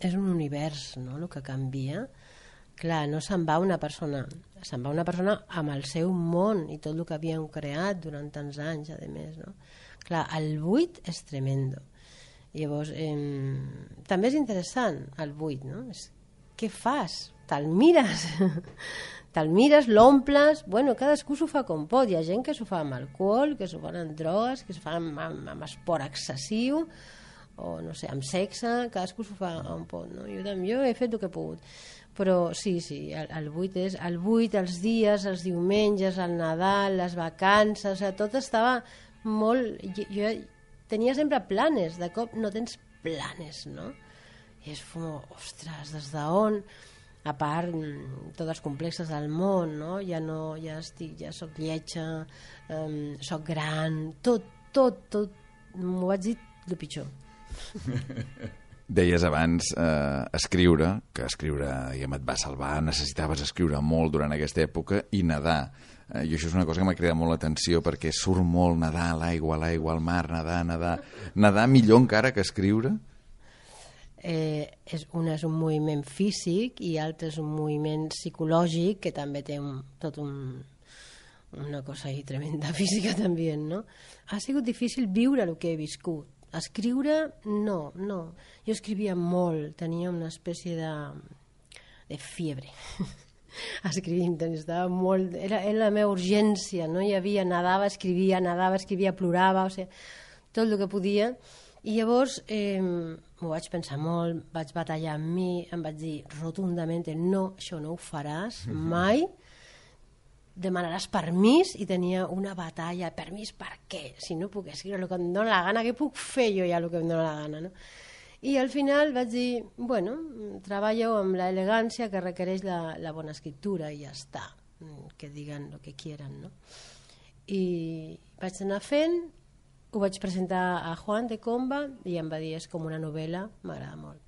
és un univers, no?, el que canvia. Clar, no se'n va una persona, se'n va una persona amb el seu món i tot el que havien creat durant tants anys, a més, no? Clar, el buit és tremendo. Llavors, també és interessant el buit, no? Què fas? Te'l mires, l'omples, bueno, cadascú s'ho fa com pot. Hi ha gent que s'ho fa amb alcohol, que s'ho fa amb drogues, que s'ho fa amb esport excessiu, o no sé, amb sexe, cadascú s'ho fa on pot, no? Jo he fet el que he pogut. Però sí, el buit és el buit, els dies, els diumenges, el Nadal, les vacances, tot estava molt... Jo tenia sempre planes, de cop no tens planes, no? I és com, ostres, des d'on? A part, tots els complexes del món, no? Ja soc lletja, soc gran, tot, m'ho vaig dir el pitjor. Deies abans escriure, que escriure et va salvar, necessitaves escriure molt durant aquesta època, i nedar. I això és una cosa que m'ha cridat molt l'atenció, perquè surt molt nedar a l'aigua, al mar, nedar. Nedar millor encara que escriure? Un és un moviment físic i l'altre és un moviment psicològic que també té una cosa ahí tremenda física també, no? Ha sigut difícil viure el que he viscut. Escriure, no. Jo escrivia molt, tenia una espècie de fiebre. Escrivint, estava molt... Era la meva urgència, no hi havia... Nadava, escrivia, plorava, o sigui, tot el que podia. I llavors m'ho vaig pensar molt, vaig batallar amb mi, em vaig dir rotundament no, això no ho faràs mai, demanaràs permís, i tenia una batalla. Permís per què? Si no puc escriure el que em dóna la gana, què puc fer jo ja el que em dóna la gana, no? I al final vaig dir, bueno, treballo amb l'elegància que requereix la bona escriptura i ja està, que diguen el que quieran, no? I vaig anar fent, ho vaig presentar a Juan de Comba i em va dir, és com una novel·la, m'agrada molt.